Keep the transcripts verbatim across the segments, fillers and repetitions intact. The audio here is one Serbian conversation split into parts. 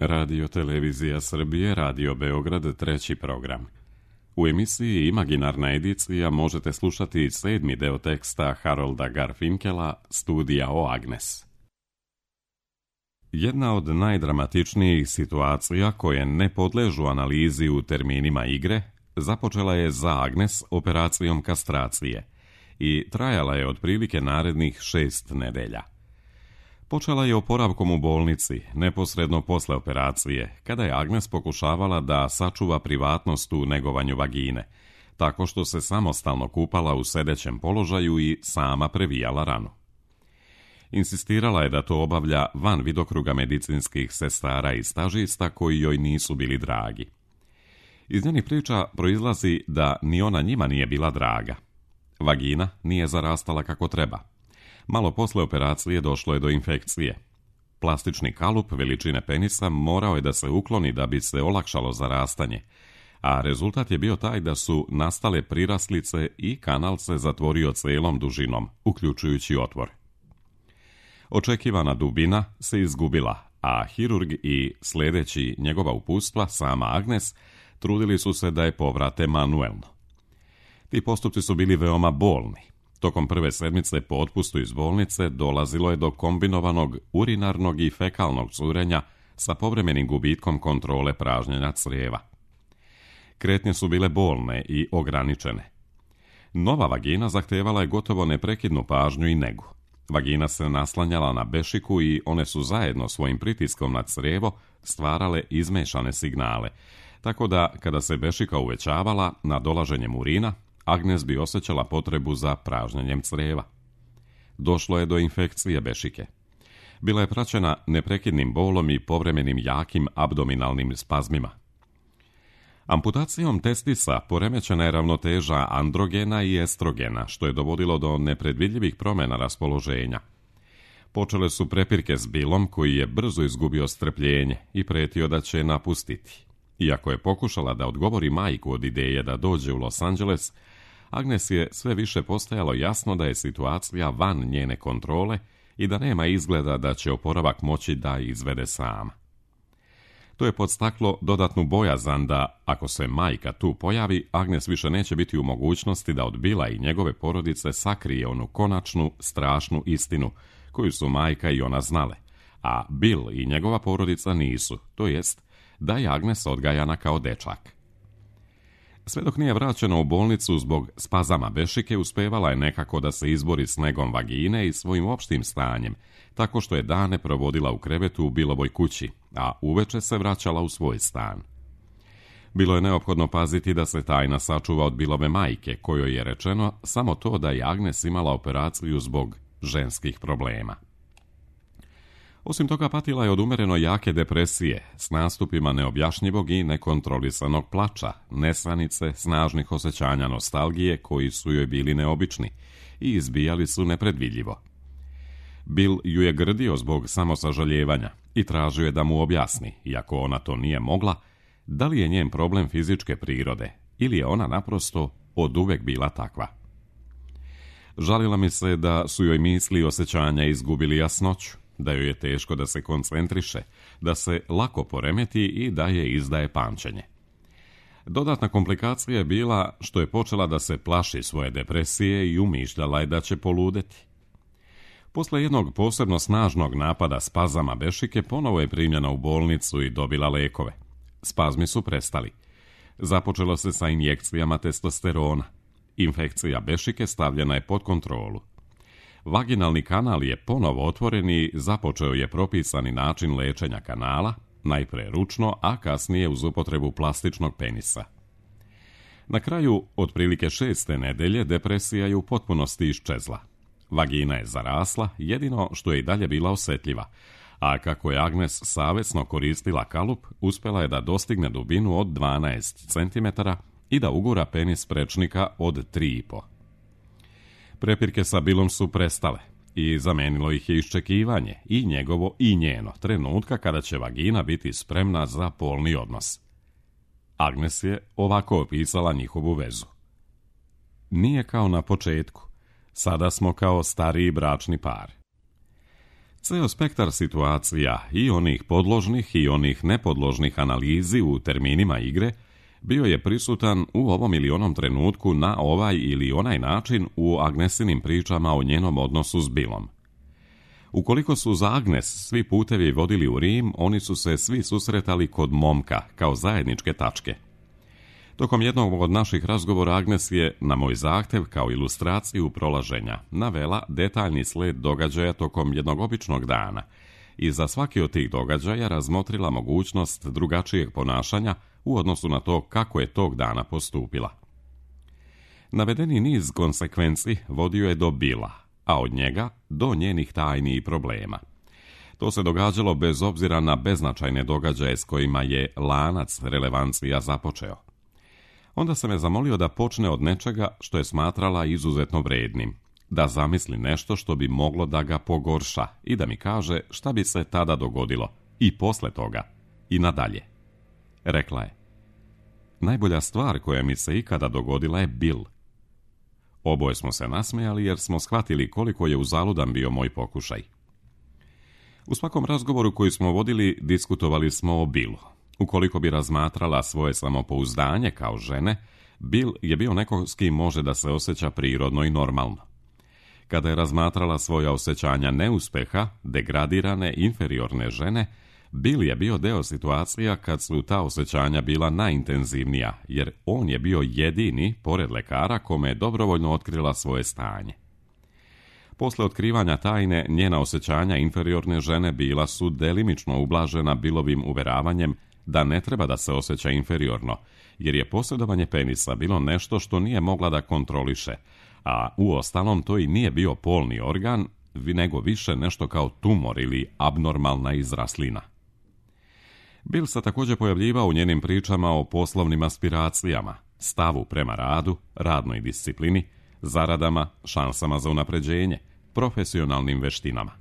Radio Televizija Srbije, Radio Beograd, treći program. U emisiji Imaginarna edicija možete slušati sedmi deo teksta Harolda Garfinkela, Studija o Agnes. Jedna od najdramatičnijih situacija koje ne podležu analizi u terminima igre započela je za Agnes operacijom kastracije i trajala je otprilike narednih šest nedelja. Počela je oporavkom u bolnici, neposredno posle operacije, kada je Agnes pokušavala da sačuva privatnost u negovanju vagine, tako što se samostalno kupala u sedećem položaju i sama previjala ranu. Insistirala je da to obavlja van vidokruga medicinskih sestara i stažista koji joj nisu bili dragi. Iz njenih priča proizlazi da ni ona njima nije bila draga. Vagina nije zarastala kako treba. Malo posle operacije došlo je do infekcije. Plastični kalup veličine penisa morao je da se ukloni da bi se olakšalo zarastanje, a rezultat je bio taj da su nastale priraslice i kanal se zatvorio celom dužinom, uključujući otvor. Očekivana dubina se izgubila, a hirurg i sledeći njegova upustva, sama Agnes, trudili su se da je povrate manuelno. Ti postupci su bili veoma bolni. Tokom prve sedmice po otpustu iz bolnice dolazilo je do kombinovanog urinarnog i fekalnog curenja sa povremenim gubitkom kontrole pražnjenja crijeva. Kretnje su bile bolne i ograničene. Nova vagina zahtevala je gotovo neprekidnu pažnju i negu. Vagina se naslanjala na bešiku i one su zajedno svojim pritiskom na crijevo stvarale izmešane signale, tako da kada se bešika uvećavala na dolaženjem urina, Agnes bi osjećala potrebu za pražnjenjem crijeva. Došlo je do infekcije bešike. Bila je praćena neprekidnim bolom i povremenim jakim abdominalnim spazmima. Amputacijom testisa poremećena je ravnoteža androgena i estrogena, što je dovodilo do nepredvidljivih promjena raspoloženja. Počele su prepirke s Billom, koji je brzo izgubio strpljenje i pretio da će napustiti. Iako je pokušala da odgovori majku od ideje da dođe u Los Angeles, Agnes je sve više postajalo jasno da je situacija van njene kontrole i da nema izgleda da će oporavak moći da izvede sama. To je podstaklo dodatnu bojazan da, ako se majka tu pojavi, Agnes više neće biti u mogućnosti da od Billa i njegove porodice sakrije onu konačnu, strašnu istinu koju su majka i ona znale, a Bill i njegova porodica nisu, to jest da je Agnes odgajana kao dečak. Sve dok nije vraćena u bolnicu zbog spazama bešike, uspevala je nekako da se izbori s negom vagine i svojim opštim stanjem, tako što je dane provodila u krevetu u Billovoj kući, a uveče se vraćala u svoj stan. Bilo je neophodno paziti da se tajna sačuva od Billove majke, kojoj je rečeno samo to da je Agnes imala operaciju zbog ženskih problema. Osim toga, patila je od umereno jake depresije, s nastupima neobjašnjivog i nekontrolisanog plača, nesanice, snažnih osjećanja nostalgije koji su joj bili neobični i izbijali su nepredvidljivo. Bill ju je grdio zbog samosažaljevanja i tražio je da mu objasni, iako ona to nije mogla, da li je njen problem fizičke prirode ili je ona naprosto oduvek bila takva. Žalila mi se da su joj misli i osjećanja izgubili jasnoću, da joj je teško da se koncentriše, da se lako poremeti i da je izdaje pamćenje. Dodatna komplikacija je bila što je počela da se plaši svoje depresije i umišljala je da će poludeti. Posle jednog posebno snažnog napada spazama bešike ponovo je primljena u bolnicu i dobila lekove. Spazmi su prestali. Započelo se sa injekcijama testosterona. Infekcija bešike stavljena je pod kontrolu. Vaginalni kanal je ponovo otvoren i započeo je propisani način lečenja kanala, najpre ručno, a kasnije uz upotrebu plastičnog penisa. Na kraju, otprilike šeste nedelje, depresija je u potpunosti iščezla. Vagina je zarasla, jedino što je i dalje bila osjetljiva, a kako je Agnes savesno koristila kalup, uspela je da dostigne dubinu od dvanaest centimetara i da ugura penis prečnika od tri i po. Prepirke sa Billom su prestale i zamenilo ih je iščekivanje, i njegovo i njeno, trenutka kada će vagina biti spremna za polni odnos. Agnes je ovako opisala njihovu vezu. Nije kao na početku. Sada smo kao stariji bračni par. Ceo spektar situacija, i onih podložnih i onih nepodložnih analizi u terminima igre, bio je prisutan u ovom ili onom trenutku na ovaj ili onaj način u Agnesinim pričama o njenom odnosu s Billom. Ukoliko su za Agnes svi putevi vodili u Rim, oni su se svi susretali kod momka, kao zajedničke tačke. Tokom jednog od naših razgovora Agnes je, na moj zahtev, kao ilustraciju prolaženja, navela detaljni sled događaja tokom jednog običnog dana i za svaki od tih događaja razmotrila mogućnost drugačijeg ponašanja u odnosu na to kako je tog dana postupila. Navedeni niz konsekvenci vodio je do Billa, a od njega do njenih tajni i problema. To se događalo bez obzira na beznačajne događaje s kojima je lanac relevancija započeo. Onda sam je zamolio da počne od nečega što je smatrala izuzetno vrednim, da zamisli nešto što bi moglo da ga pogorša i da mi kaže šta bi se tada dogodilo i posle toga i nadalje. Rekla je: najbolja stvar koja mi se ikada dogodila je Bill. Oboje smo se nasmejali jer smo shvatili koliko je uzaludan bio moj pokušaj. U svakom razgovoru koji smo vodili diskutovali smo o Billu. Ukoliko bi razmatrala svoje samopouzdanje kao žene, Bill je bio neko s kim može da se osjeća prirodno i normalno. Kada je razmatrala svoja osjećanja neuspeha, degradirane, inferiorne žene, Bill je bio deo situacija kad su ta osjećanja bila najintenzivnija, jer on je bio jedini, pored lekara, kome je dobrovoljno otkrila svoje stanje. Posle otkrivanja tajne, njena osjećanja inferiorne žene bila su delimično ublažena Billovim uveravanjem da ne treba da se osjeća inferiorno, jer je posjedovanje penisa bilo nešto što nije mogla da kontroliše, a uostalom to i nije bio polni organ, nego više nešto kao tumor ili abnormalna izraslina. Bill se također pojavljivao u njenim pričama o poslovnim aspiracijama, stavu prema radu, radnoj disciplini, zaradama, šansama za unapređenje, profesionalnim veštinama.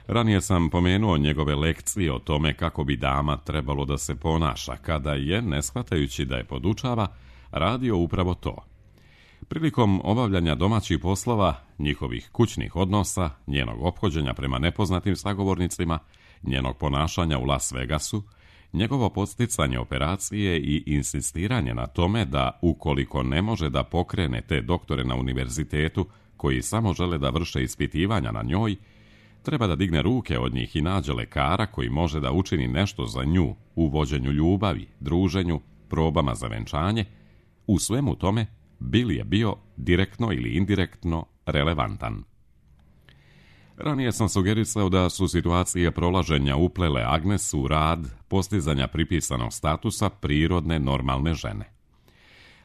Ranije sam pomenuo njegove lekcije o tome kako bi dama trebalo da se ponaša, kada je, ne shvatajući da je podučava, radio upravo to. Prilikom obavljanja domaćih poslova, njihovih kućnih odnosa, njenog ophođenja prema nepoznatim sagovornicima, njenog ponašanja u Las Vegasu, njegovo podsticanje operacije i insistiranje na tome da, ukoliko ne može da pokrene te doktore na univerzitetu koji samo žele da vrše ispitivanja na njoj, treba da digne ruke od njih i nađe lekara koji može da učini nešto za nju u vođenju ljubavi, druženju, probama za venčanje. U svemu tome, Bill je bio direktno ili indirektno relevantan. Ranije sam sugerisao da su situacije prolaženja uplele Agnes u rad postizanja pripisanog statusa prirodne normalne žene.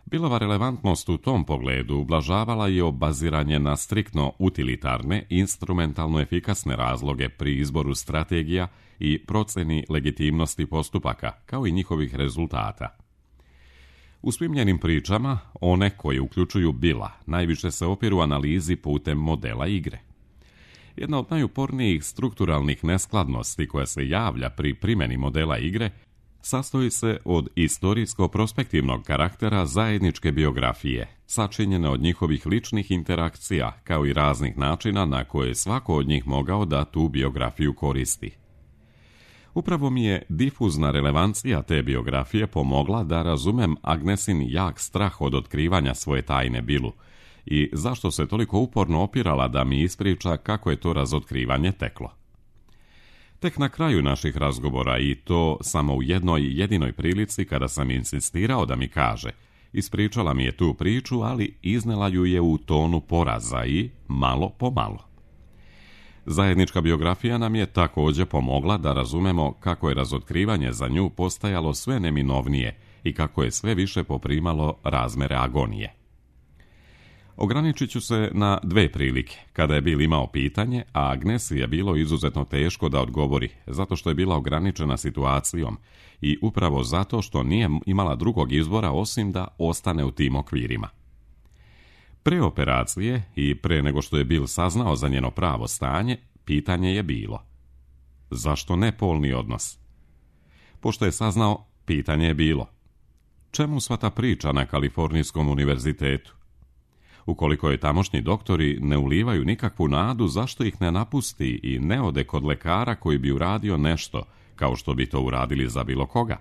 Billova relevantnost u tom pogledu ublažavala je obaziranje na striktno utilitarne, instrumentalno efikasne razloge pri izboru strategija i proceni legitimnosti postupaka, kao i njihovih rezultata. U svim njenim pričama, one koje uključuju Billa, najviše se opiru analizi putem modela igre. Jedna od najupornijih strukturalnih neskladnosti koja se javlja pri primjeni modela igre sastoji se od istorijsko-prospektivnog karaktera zajedničke biografije, sačinjene od njihovih ličnih interakcija, kao i raznih načina na koje svako od njih mogao da tu biografiju koristi. Upravo mi je difuzna relevancija te biografije pomogla da razumem Agnesin jak strah od otkrivanja svoje tajne Billu i zašto se toliko uporno opirala da mi ispriča kako je to razotkrivanje teklo. Tek na kraju naših razgovora, i to samo u jednoj jedinoj prilici kada sam insistirao da mi kaže, ispričala mi je tu priču, ali iznela ju je u tonu poraza i malo po malo. Zajednička biografija nam je također pomogla da razumemo kako je razotkrivanje za nju postajalo sve neminovnije i kako je sve više poprimalo razmere agonije. Ograničit ću se na dve prilike, kada je Bill imao pitanje, a Agnesi je bilo izuzetno teško da odgovori, zato što je bila ograničena situacijom i upravo zato što nije imala drugog izbora osim da ostane u tim okvirima. Pre operacije i pre nego što je Bill saznao za njeno pravo stanje, pitanje je bilo: zašto ne polni odnos? Pošto je saznao, pitanje je bilo: čemu sva ta priča na Kalifornijskom univerzitetu? Ukoliko je tamošnji doktori ne ulivaju nikakvu nadu, zašto ih ne napusti i ne ode kod lekara koji bi uradio nešto, kao što bi to uradili za bilo koga?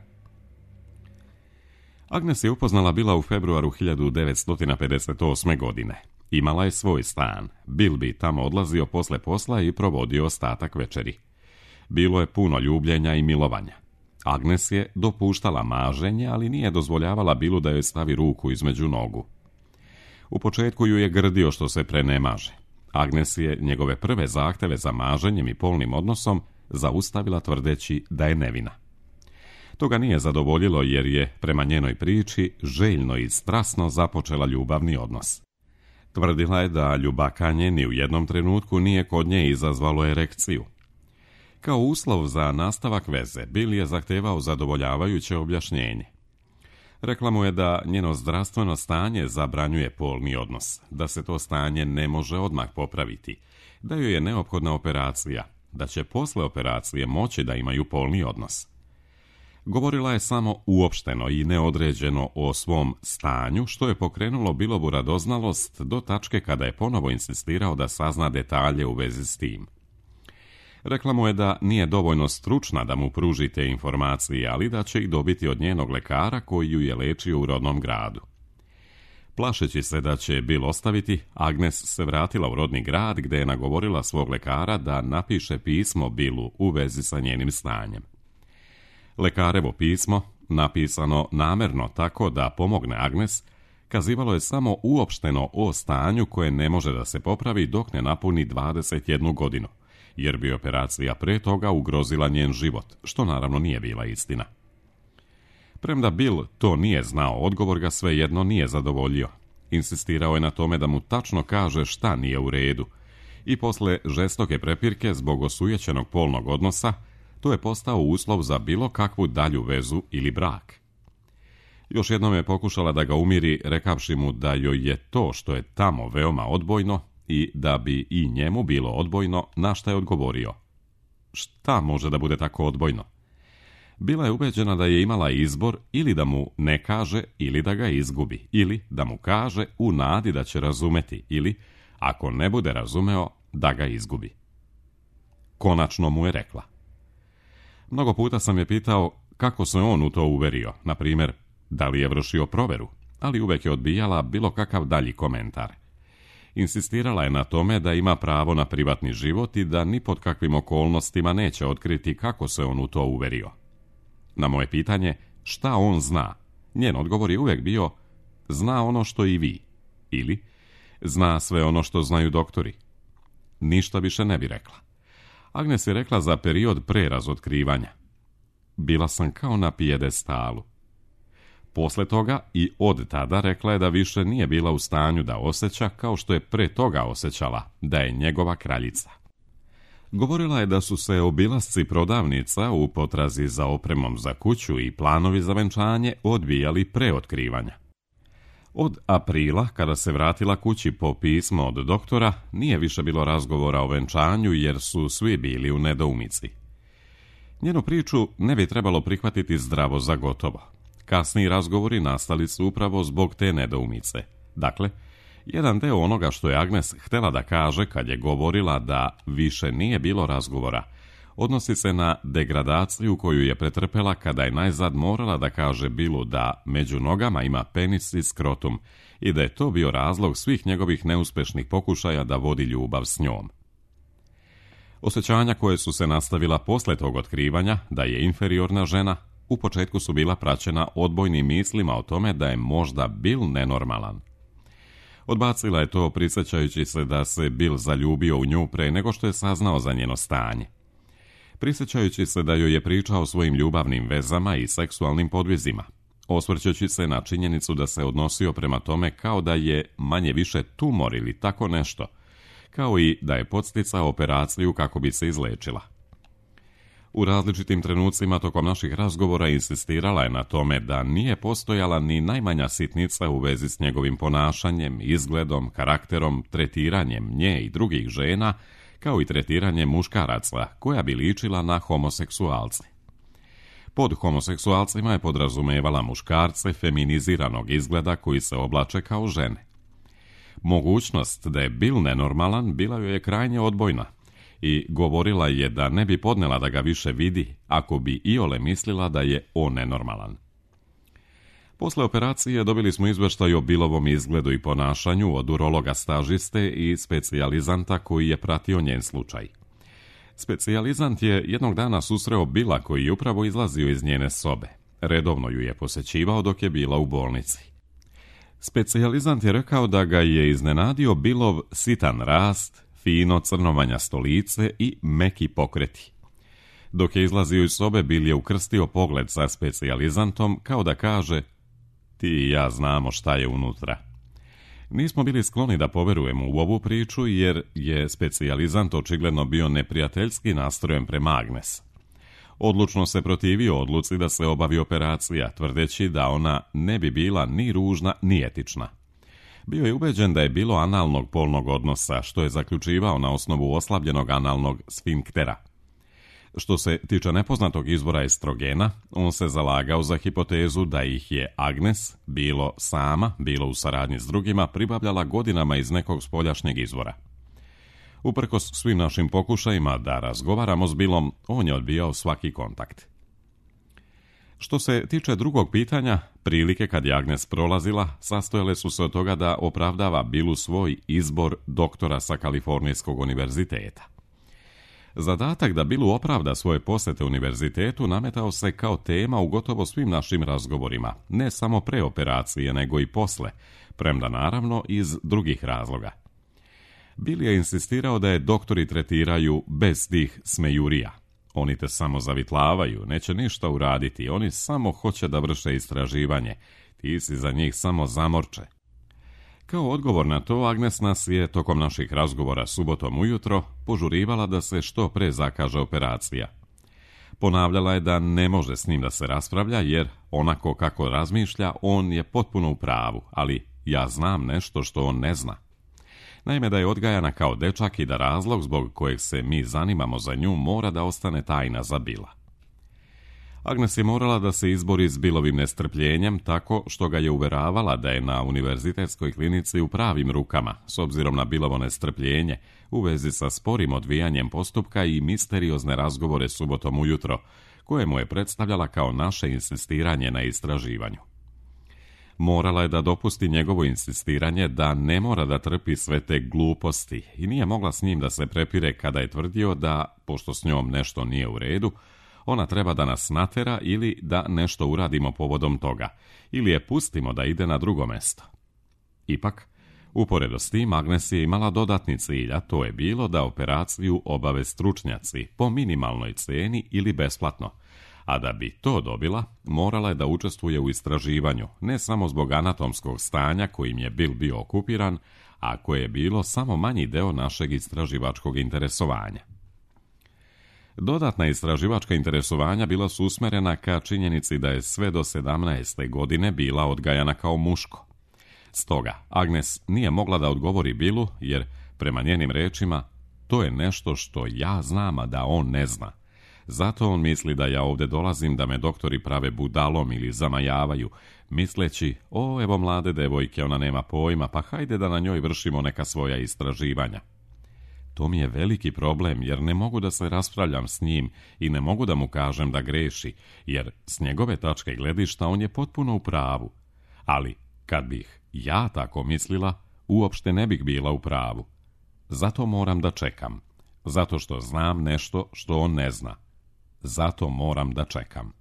Agnes je upoznala Billa u februaru hiljadu devetsto pedeset osme. godine. Imala je svoj stan. Bill bi tamo odlazio posle posla i provodio ostatak večeri. Bilo je puno ljubljenja i milovanja. Agnes je dopuštala maženje, ali nije dozvoljavala Billu da joj stavi ruku između nogu. U početku ju je grdio što se prenemaže. Agnes je njegove prve zahteve za maženjem i polnim odnosom zaustavila tvrdeći da je nevina. To ga nije zadovoljilo jer je, prema njenoj priči, željno i strasno započela ljubavni odnos. Tvrdila je da ljubakanje ni u jednom trenutku nije kod nje izazvalo erekciju. Kao uslov za nastavak veze, Bill je zahtevao zadovoljavajuće objašnjenje. Rekla mu je da njeno zdravstveno stanje zabranjuje polni odnos, da se to stanje ne može odmah popraviti, da joj je neophodna operacija, da će posle operacije moći da imaju polni odnos. Govorila je samo uopšteno i neodređeno o svom stanju, što je pokrenulo Billovu radoznalost do tačke kada je ponovo insistirao da sazna detalje u vezi s tim. Rekla mu je da nije dovoljno stručna da mu pruži te informacije, ali da će ih dobiti od njenog lekara koji ju je lečio u rodnom gradu. Plašeći se da će Bill ostaviti, Agnes se vratila u rodni grad gde je nagovorila svog lekara da napiše pismo Billu u vezi sa njenim stanjem. Lekarevo pismo, napisano namerno tako da pomogne Agnes, kazivalo je samo uopšteno o stanju koje ne može da se popravi dok ne napuni dvadeset jednu godinu, jer bi operacija pre toga ugrozila njen život, što naravno nije bila istina. Premda Bill to nije znao, odgovor ga svejedno nije zadovoljio. Insistirao je na tome da mu tačno kaže šta nije u redu i posle žestoke prepirke zbog osujećenog polnog odnosa, to je postao uslov za bilo kakvu dalju vezu ili brak. Još jednom je pokušala da ga umiri, rekavši mu da joj je to što je tamo veoma odbojno i da bi i njemu bilo odbojno, na šta je odgovorio. Šta može da bude tako odbojno? Bila je ubeđena da je imala izbor ili da mu ne kaže ili da ga izgubi, ili da mu kaže u nadi da će razumeti, ili, ako ne bude razumeo, da ga izgubi. Konačno mu je rekla. Mnogo puta sam je pitao kako se on u to uverio, na primjer, da li je vršio proveru, ali uvek je odbijala bilo kakav dalji komentar. Insistirala je na tome da ima pravo na privatni život i da ni pod kakvim okolnostima neće otkriti kako se on u to uverio. Na moje pitanje šta on zna, njen odgovor je uvek bio zna ono što i vi, ili zna sve ono što znaju doktori. Ništa više ne bi rekla. Agnes je rekla za period pre razotkrivanja. Bila sam kao na pijedestalu. Posle toga i od tada rekla je da više nije bila u stanju da osjeća kao što je pre toga osjećala, da je njegova kraljica. Govorila je da su se obilasci prodavnica u potrazi za opremom za kuću i planovi za venčanje odbijali pre otkrivanja. Od aprila, kada se vratila kući po pismo od doktora, nije više bilo razgovora o venčanju jer su svi bili u nedoumici. Njenu priču ne bi trebalo prihvatiti zdravo za gotovo. Kasniji razgovori nastali su upravo zbog te nedoumice. Dakle, jedan deo onoga što je Agnes htjela da kaže kad je govorila da više nije bilo razgovora, odnosi se na degradaciju koju je pretrpela kada je najzad morala da kaže Billu da među nogama ima penis i skrotum i da je to bio razlog svih njegovih neuspešnih pokušaja da vodi ljubav s njom. Osjećanja koje su se nastavila posle tog otkrivanja da je inferiorna žena, u početku su bila praćena odbojnim mislima o tome da je možda Bill nenormalan. Odbacila je to prisjećajući se da se Bill zaljubio u nju pre nego što je saznao za njeno stanje. Prisjećajući se da joj je pričao o svojim ljubavnim vezama i seksualnim podvizima, osvrćući se na činjenicu da se odnosio prema tome kao da je manje više tumor ili tako nešto, kao i da je podsticao operaciju kako bi se izlečila. U različitim trenucima tokom naših razgovora insistirala je na tome da nije postojala ni najmanja sitnica u vezi s njegovim ponašanjem, izgledom, karakterom, tretiranjem nje i drugih žena, kao i tretiranjem muškaraca, koja bi ličila na homoseksualce. Pod homoseksualcima je podrazumevala muškarce feminiziranog izgleda koji se oblače kao žene. Mogućnost da je Bill nenormalan bila joj je krajnje odbojna i govorila je da ne bi podnela da ga više vidi ako bi iole mislila da je on nenormalan. Posle operacije dobili smo izveštaj o Billovom izgledu i ponašanju od urologa stažiste i specijalizanta koji je pratio njen slučaj. Specijalizant je jednog dana susreo Billa koji je upravo izlazio iz njene sobe. Redovno ju je posećivao dok je bila u bolnici. Specijalizant je rekao da ga je iznenadio Billov sitan rast, fino crnovanjasto lice i meki pokreti. Dok je izlazio iz sobe, Bill je ukrstio pogled sa specijalizantom kao da kaže: ti i ja znamo šta je unutra. Nismo bili skloni da poverujemo u ovu priču jer je specijalizant očigledno bio neprijateljski nastrojen prema Agnes. Odlučno se protivio odluci da se obavi operacija, tvrdeći da ona ne bi bila ni ružna ni etična. Bio je ubeđen da je bilo analnog polnog odnosa, što je zaključivao na osnovu oslabljenog analnog sfinktera. Što se tiče nepoznatog izvora estrogena, on se zalagao za hipotezu da ih je Agnes, bilo sama, bilo u saradnji s drugima, pribavljala godinama iz nekog spoljašnjeg izvora. Uprkos svim našim pokušajima da razgovaramo s Billom, on je odbijao svaki kontakt. Što se tiče drugog pitanja, prilike kad je Agnes prolazila, sastojale su se od toga da opravdava Billu svoj izbor doktora sa Kalifornijskog univerziteta. Zadatak da Billu opravda svoje posete univerzitetu nametao se kao tema u gotovo svim našim razgovorima, ne samo pre operacije, nego i posle, premda naravno iz drugih razloga. Bill je insistirao da je doktori tretiraju bez tih smejurija. Oni te samo zavitlavaju, neće ništa uraditi, oni samo hoće da vrše istraživanje, ti si za njih samo zamorče. Kao odgovor na to, Agnes nas je tokom naših razgovora subotom ujutro požurivala da se što pre zakaže operacija. Ponavljala je da ne može s njim da se raspravlja jer onako kako razmišlja on je potpuno u pravu, ali ja znam nešto što on ne zna. Naime, da je odgajana kao dečak i da razlog zbog kojeg se mi zanimamo za nju mora da ostane tajna za Billa. Agnes je morala da se izbori s Billovim nestrpljenjem tako što ga je uveravala da je na univerzitetskoj klinici u pravim rukama, s obzirom na Billovo nestrpljenje u vezi sa sporim odvijanjem postupka i misteriozne razgovore subotom ujutro, koje mu je predstavljala kao naše insistiranje na istraživanju. Morala je da dopusti njegovo insistiranje da ne mora da trpi sve te gluposti i nije mogla s njim da se prepire kada je tvrdio da, pošto s njom nešto nije u redu, ona treba da nas natera ili da nešto uradimo povodom toga, ili je pustimo da ide na drugo mesto. Ipak, uporedo s tim, Agnes je imala dodatni cilj, a to je bilo da operaciju obave stručnjaci po minimalnoj ceni ili besplatno, a da bi to dobila, morala je da učestvuje u istraživanju, ne samo zbog anatomskog stanja kojim je Bill bio okupiran, a koje je bilo samo manji deo našeg istraživačkog interesovanja. Dodatna istraživačka interesovanja bila su usmerena ka činjenici da je sve do sedamnaeste godine bila odgajana kao muško. Stoga, Agnes nije mogla da odgovori Billu, jer, prema njenim rečima, to je nešto što ja znam, a da on ne zna. Zato on misli da ja ovde dolazim da me doktori prave budalom ili zamajavaju, misleći, o, evo mlade devojke, ona nema pojma, pa hajde da na njoj vršimo neka svoja istraživanja. To mi je veliki problem, jer ne mogu da se raspravljam s njim i ne mogu da mu kažem da greši, jer s njegove tačke gledišta on je potpuno u pravu. Ali, kad bih ja tako mislila, uopšte ne bih bila u pravu. Zato moram da čekam. Zato što znam nešto što on ne zna. Zato moram da čekam.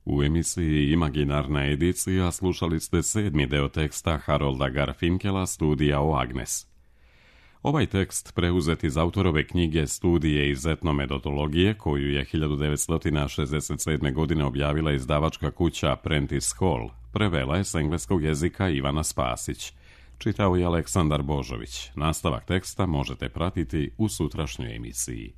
U emisiji Imaginarna edicija slušali ste sedmi deo teksta Harolda Garfinkela Studija o Agnes. Ovaj tekst preuzet iz autorove knjige Studije iz etnometodologije, koju je hiljadu devetsto šezdeset sedme. godine objavila izdavačka kuća Prentice Hall, prevela je s engleskog jezika Ivana Spasić. Čitao je Aleksandar Božović. Nastavak teksta možete pratiti u sutrašnjoj emisiji.